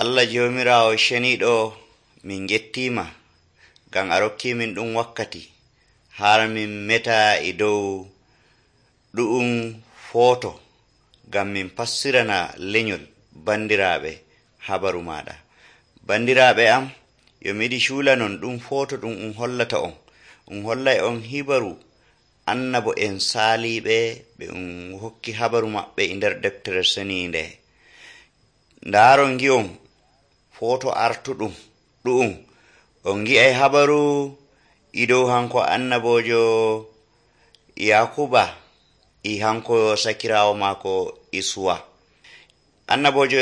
Allah joomiraawo ceniiɗo, min gettiima ngam a rokkiimin ɗum wakkati har min meta e dow ɗu'um footo ngam min fassirana lenyol bandiraaɓe habaru maaɗa. Bandiraaɓe am, yo mi yiɗi cuulanon ɗum footo ɗum hollata on. Hollay on hibaru annabo en saaliiɓe ɓe hokki habaru maɓɓe e nder deftere seniinde. Ndaaron ngi'on footo artuɗum ɗu'um on ngi'ay habaru e dow hanko annabojo Yakuba e hanko sakiraawo maako Isuwa. Annabojo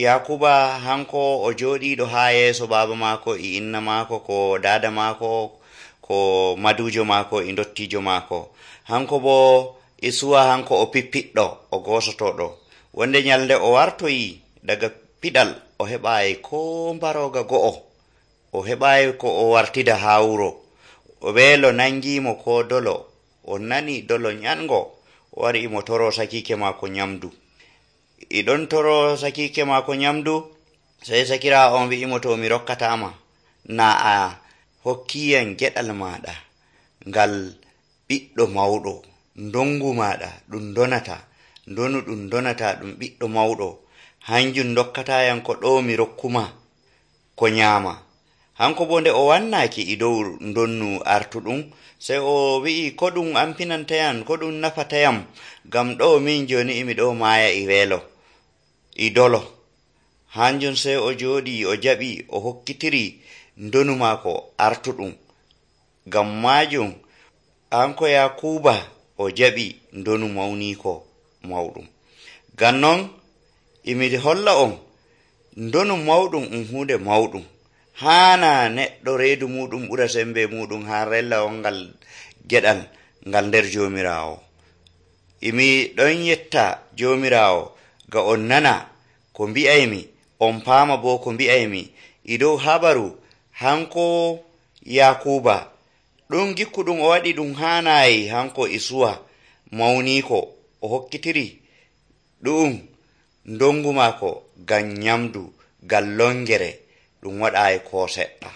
Yakuba hanko o jooɗiiɗo haa yeeso baaba maako e inna maako ko daada maako ko madujo maako e dottijo maako. Hanko bo Isuwa hanko o pippiɗɗo o goosotoɗo. Wonde nyalde o wartoyi daga piɗal o heɓaayi ko mbarooga go'o. O heɓaayi ko o wartida haa wuro. O weelo nangiimo ko dolo. O nani dolo nyango. O wari mo toro sakiike maako nyamdu. E ɗon toro sakiike maako nyamdu, sey sakiraawo on wi'imo to mi rokkataama na a hokkiyam geɗal maaɗa ngal ɓiɗɗo mawɗo. Ndongu maaɗa ɗum donata, ndonu ɗum donata ɗum ɓiɗɗo mawɗo. Hanjum dokkatayam ko ɗo mi rokkuma ko nyaama. Hanko bo nde o wannaaki e dow ndonnu artuɗum, sey o wi'i ko ɗum ampinantayam, ko ɗum nafatayam, ngam ɗo min joni imi ɗo maaya e weelo e dolo. Hanjum sey o jooɗi o jaɓi o hokkitiri ndonu maako artuɗum. Ngam maajum hanko Yakuba o jaɓi ndonu mawniiko mawɗum. Ngam non imi holla on ndonu mawɗum hunde mawɗum. Haana neɗɗo reedu muɗum ɓura sembe muɗum haa rella on ngal geɗal ngal nder joomiraawo. Imi ɗon yetta joomiraawo ga on nana ko mbi'aymi, on paama bo ko mbi'aymi e dow habaru hanko Yakuba. Ɗum gikku ɗum o waɗi ɗum haanayi hanko Isuwa mawniiko o hokkitiri ɗum ndongu maako ngam nyamdu, ngam longere ɗum waɗaayi ko seɗɗa.